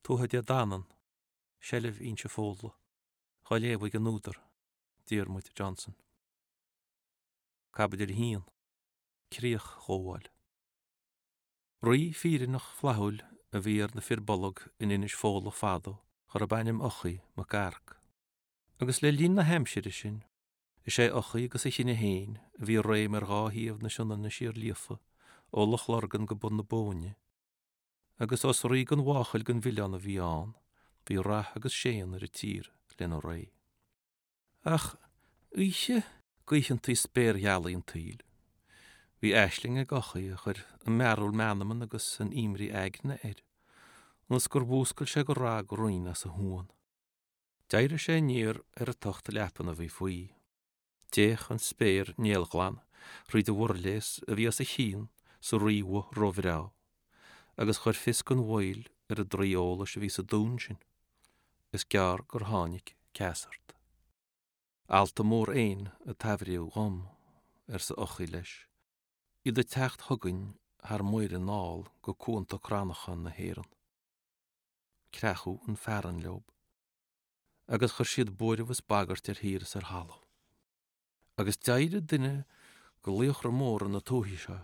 Tuatha Dé Danann, Seilbh Inse Fódla, dhá léamh ag an údar, Diarmuid Johnson. Caibidil 1, Críochghabháil. Rí fírinneach flaithiúil a bhí ar na Fir Bolg in Inis Fódla fadó dárb ainm Eochaidh Mac Earc. Agus le linn na haimsire sin, is é Eochaidh agus a chine féin a bhí i réim ar dhá thaobh na Sionainne siar líofa, ó Loch Lurgan go bun na Bóinne. Agus ós rí gan mháchail gan mhilleán a bhí ann, bhí rath agus séan ar an tír lena ré. Ach oíche d'oícheantaí spéirghealaí an tsaoil, bhí aisling ag Eochaidh a chuir an mearbhall meanman agus an imní aigne air, ionas gur mhúscail sé go RnaG righin as a shuan. D'éirigh sé aniar ar an tocht leapan a bhí faoi. D'fhéach an spéir néalghlan thríd an mhuirléas a bhí os a chionn sa ríbhoth róbhreá, agus chuir fios gan mhoill ar an draoi eolais a bhí sa dún sin. Is gearr gur tháinig Ceasart. Ealta mór éin a taibhríodh dhom, arsa Eochaidh leis, iad ag teacht chugainn thar muir anall go cuanta crannacha na hÉireann. Creachadh an fearann leob, agus chuir siad buaireamh is bagairt ar thír is ar thalamh. Agus d'éirigh duine de laochra móra na tuaithe seo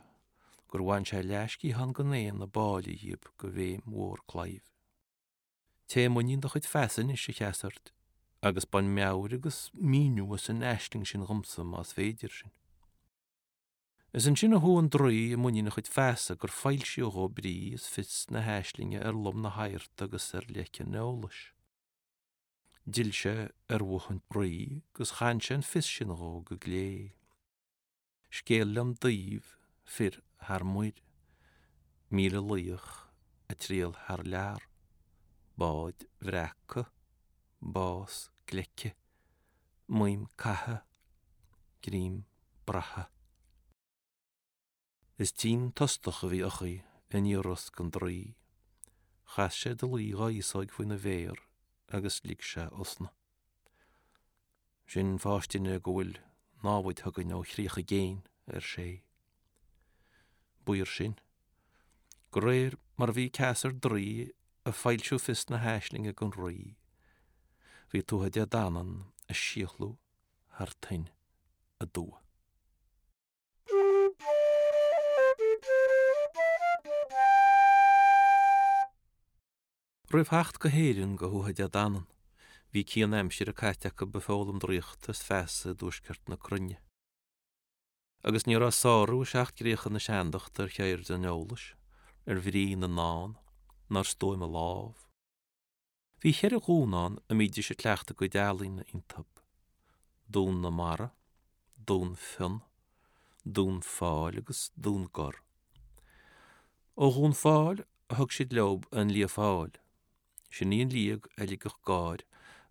gur bhain sé leathsciathán den éan a b'áille dhíob de bhéim mhór claímh. Téigh i muinín do chuid feasa anois, a Cheasairt, agus bain meabhair agus míniú as an aisling sin dhomsa más féidir sin. Is ansin a chuaigh an draoi i muinín a chuid feasa gur foilsíodh dhó brí is fios na haislinge ar lom na hadharta agus ar leic an eolais. D'fhill sé ar bhoth an rí agus chan sé an fios sin dhó go glé. Scéal liom daoibh fir thar muir, 1,000 laoch ag triall thar lear, báid bhreaca, bás gleice, maidhm catha, greim braiche. Is tinn tostach a bhí Eochaidh i ndiaidh rosc an draoi. Chas sé dlaoi dhá fhéasóig faoina mhéar agus lig sé osna. Sin fáistine go bhfuil námhaid chugainn ó chríocha i gcéin, ar sé. B'fhíor sin. De réir mar a bhí Ceasar Draoi ag foilsiú fios na haislinge don rí, bhí Tuatha Dé Danann ag síothlú thar toinn aduaidh. Roimh theacht go hÉirinn do Thuatha Dé Danann, bhí cian aimsire caite acu ag foghlaim draíochta is feasa i dtuaisceart na cruinne. Agus ní raibh sárú i seacht gcríocha na seandachta ar cheird an eolais, ar bhrí na ndán, ná ar stuaim a lámh. Bhí cheithre dhún ann a mbídís ag cleachtadh a gcuid ealaíne iontu, Dún na Mara, Dún Fionn, Dún Fáil agus Dún Gor. Ó Dhún Fáil a thug siad leob an Lia Fáil. Sin í an liag a ligfeadh gáir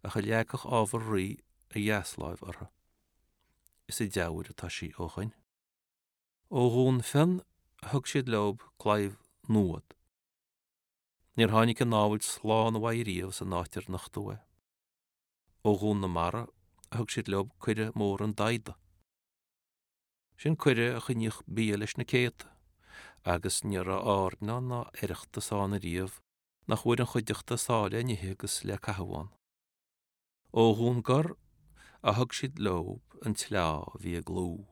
ach a leagfadh ábhar rí a dheasláimh orthu. Is i dTeamhair atá sí ó shoin. Ó Dhún Fionn a thug siad leob claidheamh Nuad. Níor tháinig an námhaid slán uaidh riamh san áit ar nochtadh é. Ó Dhún na Mara a thug siad leob coire mór an Daghda. Sin coire a choinníodh bia leis na céadta, agus ní raibh airneán ná oireachtas ann ariamh nach bhfuair an chuideachta sáith le n-ithe agus le caitheamh ann. Ó Dhún Gor a thug siad leob an tsleá a bhí ag Lugh.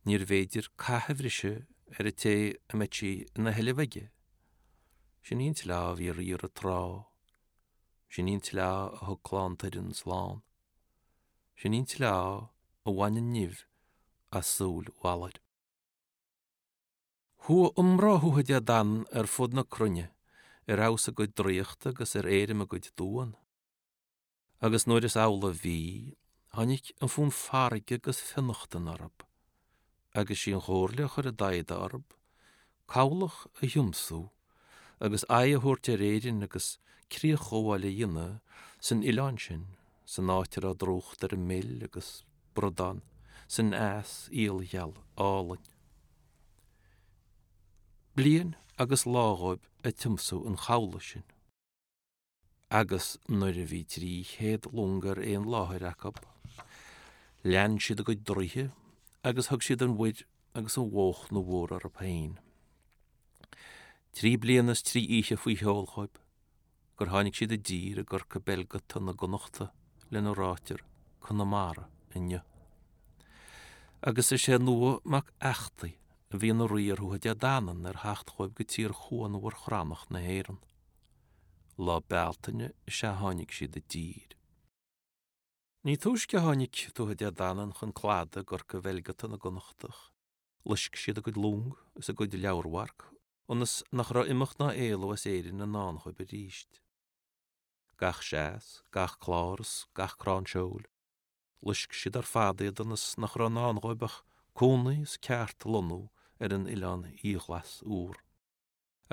Níorbh fhéidir cath a bhriseadh ar an té a mbeadh sí ina sheilbh aige. Sin í an tsleá a bhí ag riar an trá. Sin í an tsleá a thug clann Tuireann slán. Sin í an tsleá a bhain an nimh as súil Bhalair. Chuaigh iomrá Thuatha Dé Danann ar fud na cruinne ar fheabhas a gcuid draíochta agus ar éirim a gcuid duan. Agus nuair is amhlaidh a bhí, tháinig an fonn farraige agus fionnachtan orthu, agus sí an chomhairle a chuir an Daghda orthu, cabhlach a thiomsú agus aghaidh a thabhairt ar Éirinn agus críochghabháil a dhéanamh san oileán sin, san áit a raibh drúcht ar an mil agus bradán san eas iailgheal álainn. Bliain agus lá dhóibh ag tiomsú an chabhlaigh sin. Agus nuair a bhí 300 long ar aon láthair acu, lean siad a gcuid draoithe agus thug siad an mhuir agus an bhóchna mhór orthu féin. Trí bliana is trí oíche faoi sheol dhóibh. gur tháinig siad i dtír i gCorca Belgata na gConnachta lena ráitear Conamara inniu. Agus is é Nuadh mac Eachtaigh a bhí ina rí ar Thuatha Dé Danann ar theacht dhóibh go tír chuanmhar chrannach na hÉireann. Lá Bealtaine is ea tháinig siad i dtír. Ní túisce a tháinig Tuatha Dé Danann chun cladaigh i gCorca Bhelgata na gConnachtach, loisc siad a gcuid long is a gcuid leabharmharc ionas nach raibh imeacht ná éalú as Éirinn i ndán dhóibh arís. Gach seas, gach clár is gach crann seoil, loisc siad ar fad iad ionas nach raibh i ndán dhóibh ach cónaí is ceart a lonnú ar an oileán iathghlas úr.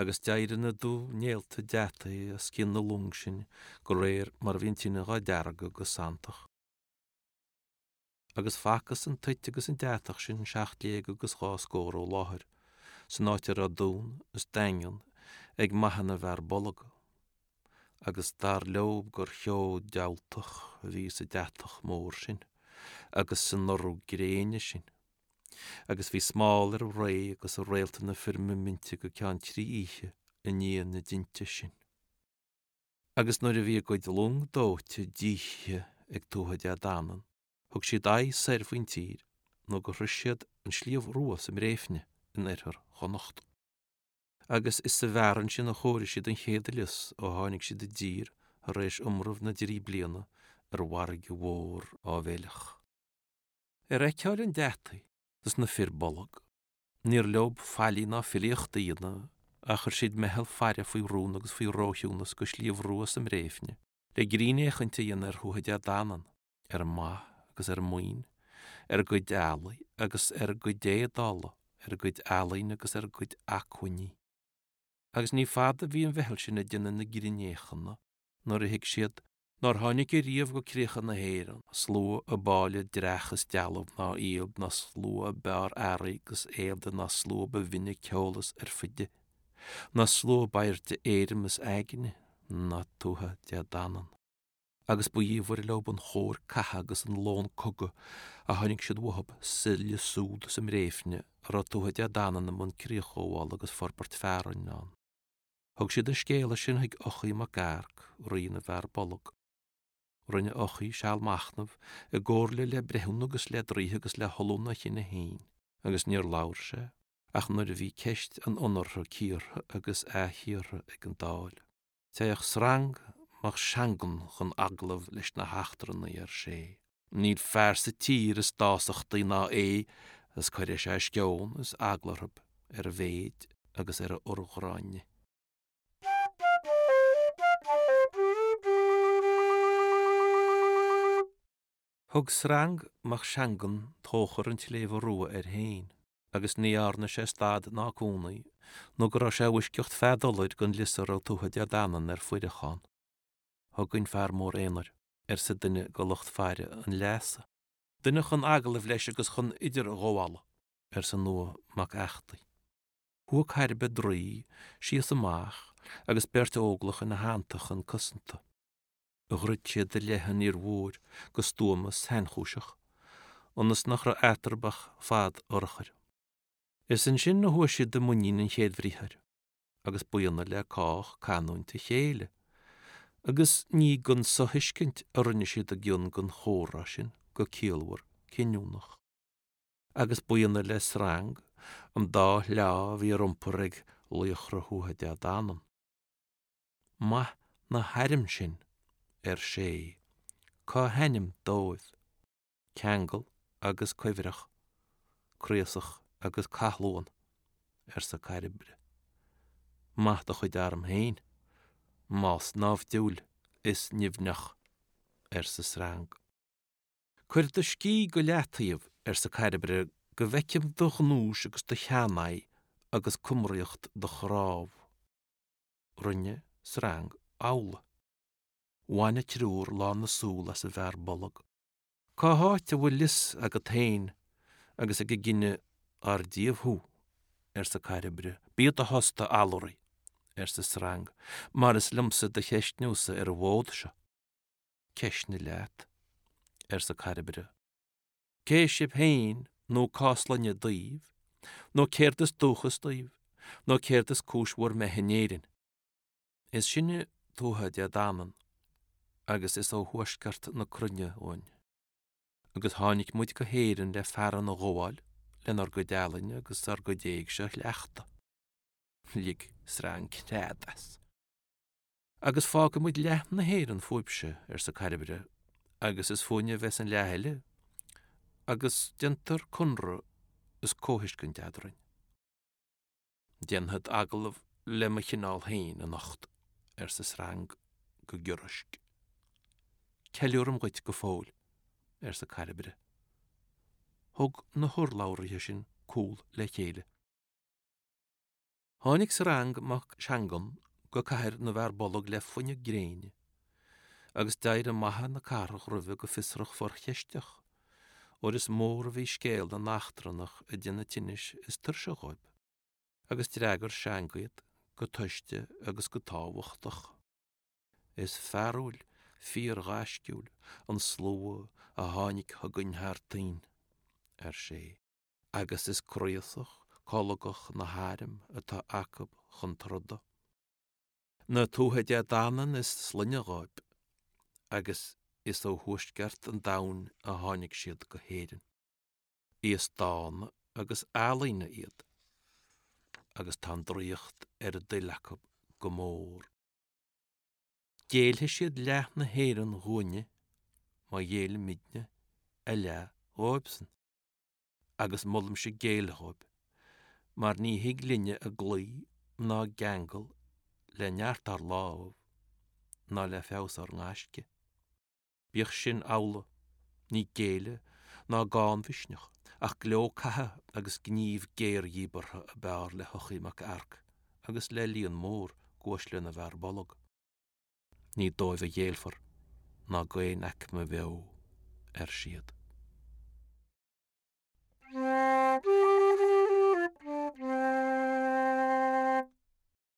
Agus d'éirigh na dubhnéalta deataigh as cinn na long sin de réir mar a bhí an tine dhá deargadh go santach. Agus facthas an toit agus an deatach sin seacht léig agus dhá scór ó láthair, san áit a raibh dún is daingean ag maithe na bhfear bolg, agus dar leob gur cheo diabhaltach a bhí sa deatach mór sin agus san urú gréine sin. Agus bhí smál ar an ré agus ar réalta na firmiminte go ceann trí oíche i ndiaidh na dtinte sin. Agus nuair a bhí a gcuid long dóite díothaithe ag Tuatha Dé Danann, thug siad aghaidh soir faoin tír nó gur shroich siad an Sliabh Rua sa mBréifne in oirthear Chonnacht. Agus is sa bhfearann sin a chóirigh siad an chéad lios ó tháinig siad i dtír tar éis iomramh na dtrí bliana ar bhfarraige mhór áibhéileach. Ar fheiceáil an deataigh is na fir bolg, Níor leob faillí ná filíocht a dhéanamh ach chuir siad meitheal faire faoi rún agus faoi róchiúnas go Sliabh Rua sa mBréifne le grinnfhéachaint a dhéanamh ar Thuatha Dé Danann, ar a maith agus ar a maoin, ar a gcuid eallaigh agus ar a gcuid éadála, ar a gcuid ealaíne agus ar a gcuid acmhainní. Agus ní fada a bhí an mheitheal sin ag déanamh na grinnfhéachana nuair a thuig siad nár tháinig ariamh go críocha na hÉireann slua ab áille dreach is dealbh ná iad, ná slua ab fhearr earraí agus éadaí, ná slua ba bhinne ceol is oirfide, ná slua ab airde éirim is aigne ná Tuatha Dé Danann. Agus ba dhiamhair leob an chóir catha agus an lón cogaidh a tháinig siad uathub sa lios úd sa mBréifne a raibh Tuatha Dé Danann i mbun críochghabhála agus forbairt fearainn ann. Thug siad an scéala sin chuig Eochaidh Mac Earc, rí na bhFear Bolg. Rinne Eochaidh seal machnaimh i gcomhairle le breithiúna agus le draoithe agus le hollúna a chine féin, agus níor labhair sé ach nuair a bhí ceist an ionartha cíortha agus athchíortha ag an Dáil. Téadh Srang Mac Seangann chun agallaimh leis na heachtrannaigh, ar sé. Níl fear sa tír is dásachtaí ná é is cuirfidh sé sceon is eagla orthu ar a mhéid agus ar a urghráinne. Thug Srang Mac Seangann tóchar an tSléibhe Rua air féin agus ní dhearna sé stad ná cónaí nó go raibh sé i bhfoisceacht fead Ulaid den lios a raibh Tuatha Dé Danann ar fuireach ann. Chugainn fear mór aonair. arsa duine de lucht faire an leasa. Duine chun agallaimh leis agus chun idirghabhála, arsa Nuadh Mac Eachtaigh. Chuaigh Cairbre Draoi síos amach agus beirt óglach ina theannta chun cosanta. Dhruid siad i leith an fhir mhóir go stuama sainchúiseach, ionas nach raibh eatarthu ach fad urchair. Is ansin a chuaigh siad i muinín an chéadbhriathair. agus b'ionadh le cách canúint a chéile, agus ní gan sothuiscint a rinne siad a gcion den chomhrá sin go ciallmhar cinniúnach. Agus b'ionadh le Srang an dá shleá a bhí ar iompar ag laochra Thuatha Dé Danann. Maith na hairm sin, ar sé, cá hainm dóibh? Ceangal agus Cuibhreach, Craosach agus Cathluan, arsa Cairbre. Maith do chuid arm féin, más naimhdiúil is nimhneach, arsa Srang. Cuir do scíth go leataobh, arsa Cairbre, go bhfeicim do ghnúis agus do sheanaghaidh agus cumraíocht do chnámh. Rinne Srang amhlaidh. Bhain an triúr lán na súl as an bhfear bolg. Cá háit a bhfuil lios agat féin agus ag an gcine ár díobh thú? arsa Cairbre. Bí i do thost, a allúraí, arsa Srang, mar is liomsa do cheistniúsa ar an bhfód seo. Ceistnigh leat, arsa Cairbre. Cé sibh féin nó cá sloinne daoibh, nó céard is dúchas daoibh, nó céard is cúis bhur mbeith in Éirinn? Is sinne Tuatha Dé Danann agus is ó thuaisceart na cruinne uainn. Agus tháinig muid go hÉirinn le fearann a ghabháil lenár gcuid ealaíne agus ár gcuid éigse a chleachtadh. Lig Srang creat as. Agus fágfaidh muid leath na hÉireann fúibhse, arsa Cairbre, agus is fúinne a bheas an leath eile, agus déantar conradh is comhthuiscint eadrainn. Déanfad agallamh le mo chineál féin anocht, arsa Srang go giorraisc. Ceiliúraim dhuit go fóill, arsa Cairbre. Thug na hurlabhraithe sin cúl le chéile. Tháinig Srang mac Seangann go cathair na bhFear Bolg le fuineadh gréine, agus d'éirigh maithe na cathrach roimhe go fiosrach forcheisteach, óir is mór a bhí scéal na n-eachtrannach a déanamh tinnis is tuirse dhóibh. Agus d'fhreagair Seang iad go toiste agus go tábhachtach. Is fearúil, fíorghaisciúil, an slua a tháinig chugainn thar toinn, ar sé, agus is craosach, colgach na hairm atá acu chun troda. Na Tuatha Dé Danann is sloinne dhóibh, agus is ó thuaisceart an domhain a tháinig siad go hÉirinn. Aos dána agus ealaíne iad, agus tá an draíocht ar a dtoil acu go mór. Géillfidh siad leath na hÉireann dhúinne má ghéillimidne a leath dhóibhsan. agus molaimse géilleadh dhóibh, mar ní thig linne a gcloí ná a gceangal le neart ár lámh ná le feabhas ár ngaisce. Bíodh sin amhlaidh, ní géilleadh ná gannmhisneach, ach gleo catha agus gníomh géardhíbeartha ab fhearr le hEochaidh Mac Earc agus le líon mór d'uaisle na bhFear Bolg. Ní dóibh a ghéillfear ná d'aon aicme bheo, ar siad.